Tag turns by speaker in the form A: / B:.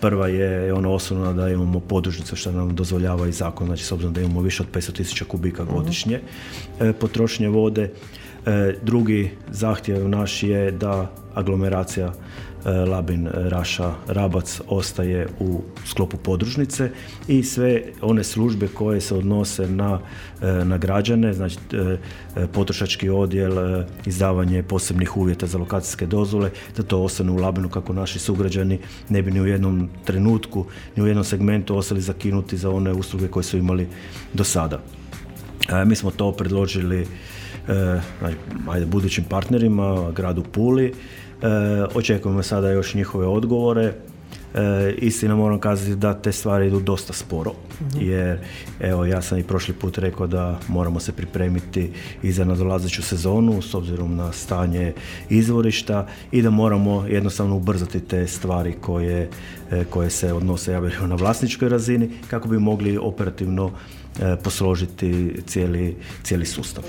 A: Prva je ono osnovno da imamo podružnicu što nam dozvoljava i zakon, znači s obzirom da imamo više od 500.000 kubika godišnje potrošnje vode. Drugi zahtjev naš je da aglomeracija Labin, Raša, Rabac ostaje u sklopu podružnice i sve one službe koje se odnose na građane, znači potrošački odjel, izdavanje posebnih uvjeta za lokacijske dozvole, da to ostane u Labinu kako naši sugrađani ne bi ni u jednom trenutku, ni u jednom segmentu ostali zakinuti za one usluge koje su imali do sada. Mi smo to predložili budućim partnerima, gradu Puli. Očekujemo sada još njihove odgovore. Istina, moram kazati da te stvari idu dosta sporo, jer evo, ja sam i prošli put rekao da moramo se pripremiti i za nadolazeću sezonu s obzirom na stanje izvorišta i da moramo jednostavno ubrzati te stvari koje se odnose na vlasničkoj razini kako bi mogli operativno posložiti cijeli sustav.